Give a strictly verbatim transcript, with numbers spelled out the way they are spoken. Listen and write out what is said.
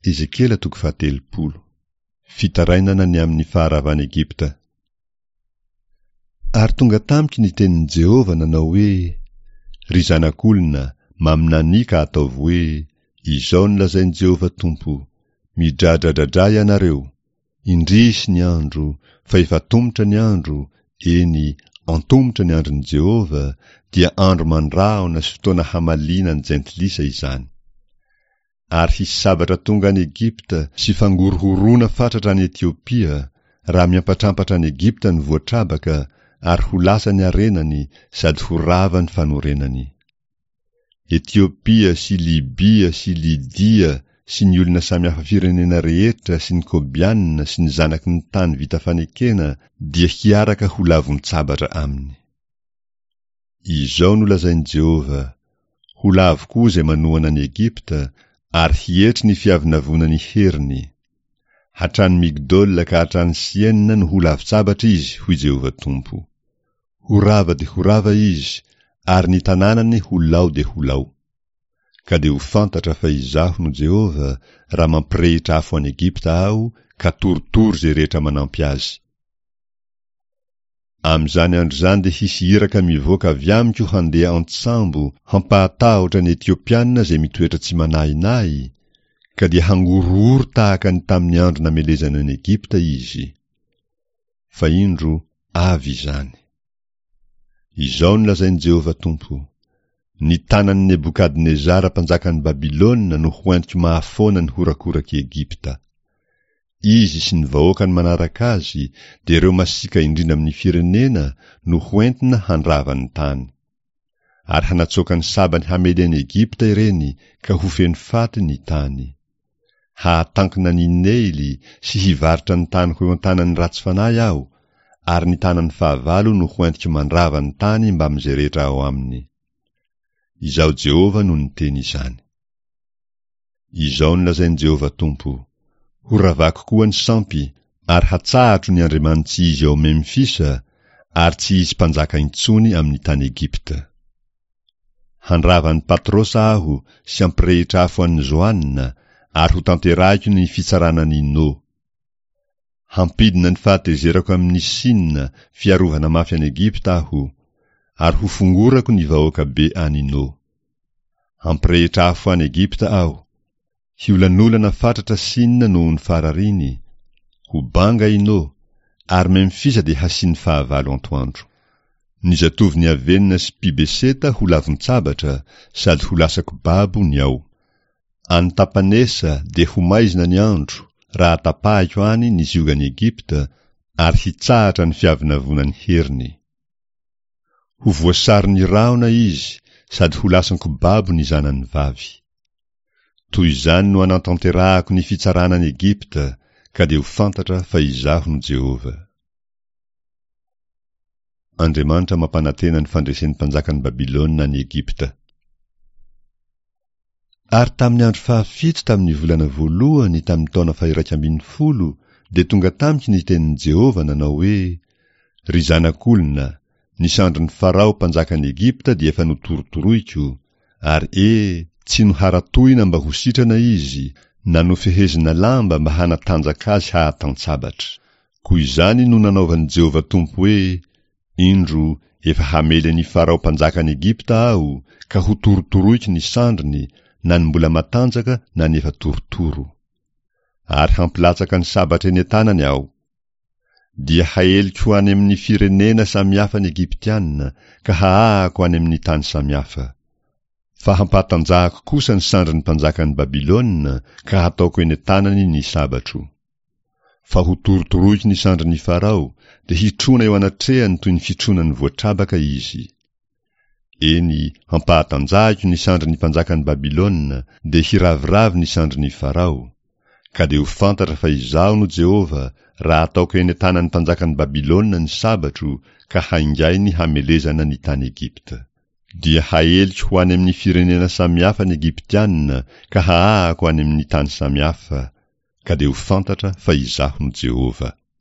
Ezekiela toko fahatelopolo. Fitarainana ny amin'ny faharavan'i Egypta. Ary tonga tamiko ny tenin'i Jehovah nanao hoe, Ry zanak'olona, maminania ka ataovy hoe, Izao no lazain'i Jehovah Tompo, Midradradradrà ianareo! Indrisy ny andro, fa efa atomotra ny andro, eny, antomotra ny andron'i Jehovah, dia andro mandrahona sy fotoana hamaliana ny jentilisa izany. Ary hisy sabatra tonga any Egypta sy fangorohoroana fatratra any Etiopia, raha miampatrampatra any Egypta ny voatrabaka, ary ho lasa ny harenany sady ho rava ny fanorenany. Etiopia sy Libia sy Lydia sy ny olona samihafa firenena rehetra sy ny Kobiana sy ny zanaky ny tany vita fanekena dia hiaraka ho lavon-tsabatra aminy. Izao no lazain'i Jehovah, Ho lavo koa izay manohana an'i Egypta, ary hietry ny fiavonavonan'ny heriny. Hatrany Migdola ka hatrany Siena no ho lavon-tsabatra izy, hoy Jehovah Tompo. Ho rava dia ho rava izy, ary ny tanànany ho lao dia ho lao. Ka dia ho fantatra fa Izaho no Jehovah, raha mampirehitra afo an'i Egypta Aho, ka torotoro izay rehetra manampy azy. Amin'izany andro izany dia hisy iraka mivoaka avy amiko handeha an-tsambo hampahatahotra ny Etiopiana izay mitoetra tsy manahinahy, ka dia hangorohoro tahaka ny tamin'ny andro namelezana an'i Egypta izy. Fa indro, avy izany. Izao no lazain'i Jehovah Tompo, Ny tanan'i Nebokadnezara mpanjakan'i Babylona no hoentiko mahafoana ny horakorak'i Egypta. Izy sy ny vahoakany manaraka azy, dia ireo masiaka indrindra amin'ny firenena, no hoentina handrava ny tany. Ary hanatsoaka ny sabany hamely an'i Egypta ireny, ka ho feno faty ny tany. Hahatankina an'i Neily sy hivarotra ny tany ho eo an-tanan'ny ratsy fanahy aho, ary ny tanan'ny fahavalo no hoentiko mandrava ny tany mbamin'izay rehetra ao aminy. Izaho Jehovah no niteny izany. Izao no lazain'i Jehovah Tompo, Horavako koa ny sampy, ary hatsahatro ny andriamani-tsy izy ao Memfisa, ary tsy hisy mpanjaka intsony amin'ny tany Egypta. Handrava an'i Patrosa aho sy hampirehitra afo an'i Zoana, ary hotanterahiko ny fitsarana an'i No. Hampidina ny fahatezerako amin'i Sina, fiarovana mafy an'i Egypta aho, ary hofongorako ny vahoaka be any No. Hampirehitra afo any Egypta aho. Hiolanolana fatratra Sina noho ny farariny. Ho banga i No, ary Memfisa dia hasian'ny fahavalo antoandro. Ny zatovon'i Avena sy Pibeseta ho lavon-tsabatra, sady ho lasako babo ny ao. Any Tapanesa dia ho maizina ny andro, raha tapahiko any ny ziogan'i Egypta, ary hitsahatra ny fiavonavonan'ny heriny. Ho voasaron'ny rahona izy sady ho lasan-ko babo ny zanany vavy. Toy izany no hanatanterahako ny fitsarana an'i Egypta, ka dia ho fantatra fa Izaho no Jehovah. Andriamanitra mampanantena ny fandresen'ny mpanjakan'i Babylona an'i Egypta. Ary tamin'ny andro fahafito tamin'ny volana voalohany tamin'ny taona fahiraika ambin'ny folo dia tonga tamiko ny tenin'i Jehovah nanao hoe, Ry zanak'olona, ny sandrin'i Farao mpanjakan'i Egypta dia efa notorotoroiko, ary e, tsy noharatoina mba ho sitrana izy, na nofehezina lamba mba hanatanjaka azy hahatan-tsabatra. Koa izany no nanaovan'i Jehovah Tompo hoe, Indro, efa hamely an'i Farao mpanjakan'i Egypta Aho, ka hotorotoroiko ny sandriny, na ny mbola matanjaka na ny efa torotoro. Ary hampilatsaka ny sabatra eny an-tanany Aho. Dia haeliko ho any amin'ny firenena samihafa ny Egyptiana, ka hahahako any amin'ny tany samihafa. Fa hampahatanjahako kosa ny sandrin'ny mpanjakan'i Babylona, ka hataoko eny an-tanany ny sabatro. Fa hotorotoroiko ny sandrin'i Farao, dia hitrona eo anatrehany toy ny fitronan'ny voatrabaka izy. Eny, hampahatanjahiko ny sandrin'ny mpanjakan'i Babylona, dia hiraviravy ny sandrin'i Farao. Ka dia ho fantatra fa Izaho no Jehovah, raha ataoko eny an-tanan'ny mpanjakan'i Babylona ny sabatro, ka haingainy hamelezana ny tany Egypta. Dia haeliko ho any amin'ny firenena samihafa ny Egyptiana, ka hahahako any amin'ny tany samihafa. Ka dia ho fantatra fa Izaho no Jehovah.